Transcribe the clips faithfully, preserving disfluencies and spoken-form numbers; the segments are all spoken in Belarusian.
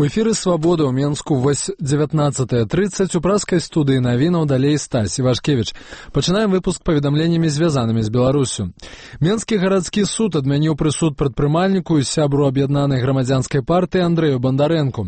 У эфіры «Свабода» ў Менску вось дзевятнаццатая трыццаць у праскай студыі навінаў далей Стась Івашкевіч. Пачынаем выпуск паведамленнямі, звязанымі з Беларусю. Менскі гарадскі суд адмяніў прысуд прадпрымальніку і сябру аб'яднанай грамадзянскай партыі Андрэю Бандарэнку.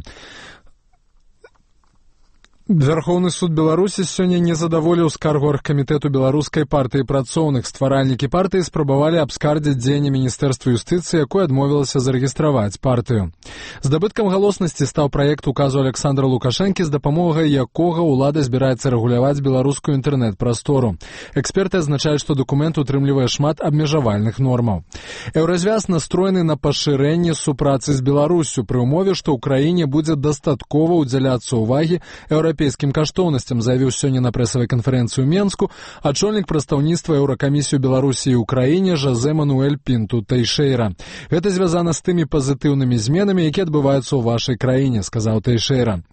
Верховны суд Беларусі сёння не задаволіў скаргу аргкамітэту беларускай партыі працоўных. Стваральнікі партыі спрабавалі абскардзіць дзеянне Міністэрства юстыцыі, якое адмовілася зарэгістраваць партыю. Здабыткам галоснасці стаў праект указу Александра Лукашэнкі, з дапамогай якога ўлада збіраецца рэгуляваць беларускую інтэрнэт-прастору. Эксперты адзначаюць, што дакумент утрымлівае шмат абмежавальных нормаў. Еўразвяз настроены на пашырэнне супрацы з Беларусю пры ўмове, што ў краіне будзе дастаткова ўдзяляцца ўвагі еўрапейскім еўрапейскім каштоўнасцям, заявіў сёння на прэсавай канферэнцыі ў Менску ачольнік прадстаўніцтва Еўракамісіі Беларусі ў краіне Жозе Мануэль Пінту Тэйшэйра. Гэта звязана з тымі пазітыўнымі зменамі, якія адбываюцца ў вашай краіне, сказаў Тэйшэйра.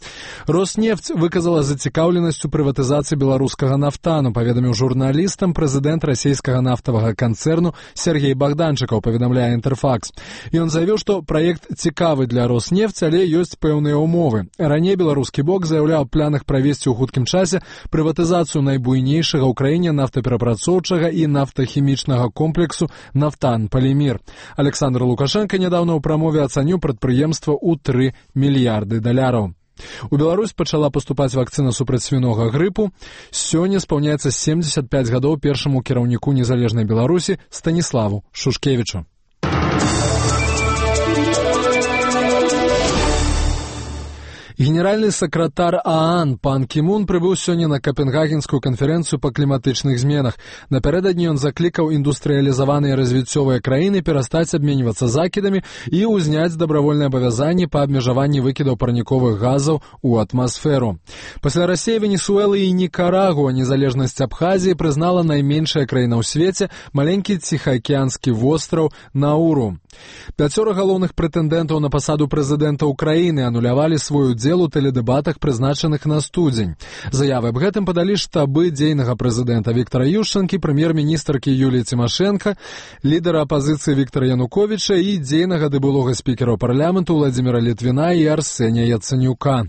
Роснефть выказала зацікаўленасць у прыватызацыі беларускага нафтану, паведаміў журналістам прэзідэнт расійскага нафтавага канцэрну Сергей Богданчыкаў, паведамляе Інтэрфакс. Ён заявіў, што праект цікавы для Роснефть, але ёсць пэўныя ўмовы. Раней беларускі бок заяўляў план правесці ў хуткім часе прыватызацыю найбуйнейшага ў краіне нафтаперапрацоўчага і нафтахімічнага комплексу «Нафтан Полимир». Александр Лукашенко нядаўна ў прамове ацаніў прадпрыемства ў тры мільярды даляраў. У Беларусь пачала паступаць вакцына супраць свінога грыпу. Сёння спаўняецца семдзесят пяць гадоў першаму кіраўніку незалежнай Беларусі Станіславу Шушкевічу. Генеральны сакратар ААН пан Кімун прыбыў сёння на Капенгагенскую канферэнцыю па кліматычных зменах. Напярэдадні ён заклікаў індустрыялізаваныя развіццёвыя краіны перастаць абменьвацца закідамі і ўзняць дабравольныя абавязанні па абмежаванні выкідаў парніковых газаў у атмасферу. Пасля Расіі, Венесуэлы і Нікарагуа незалежнасць Абхазіі прызнала найменшая краіна ў свеце, маленькі ціхаакіянскі востраў Науру. Пяцёра галоўных прэтэндэнтаў на пасаду прэзідэнта ўкраіны анулявалі свой удзел у тэледэбатах, прызначаных на студзень. Заявы аб гэтым падалі штабы дзейнага прэзідэнта Віктара Ющэнкі, прэм'ер-міністркі Юліі Цімашэнка, лідара апазіцыі Віктара Януковіча і дзейнага ды былога спікера парламенту Владзіміра Літвіна і Арсенія Яцэнюка.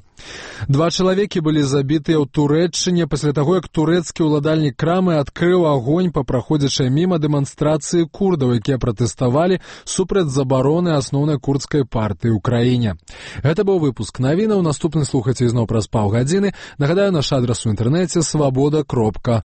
Два чалавекі былі забітыя ў Турэччыне пасля таго, як турэцкі ўладальнік крамы адкрыў агонь па праходзячай міма дэманстрацыі курдаў, якія пратэставалі супраць забароны асноўнай курдскай партыі ў краіне. Гэта быў выпуск навінаў. Наступны слухайце ізноў праз паўгадзіны. Нагадаю, наш адрас у інтэрнэце свабода кропка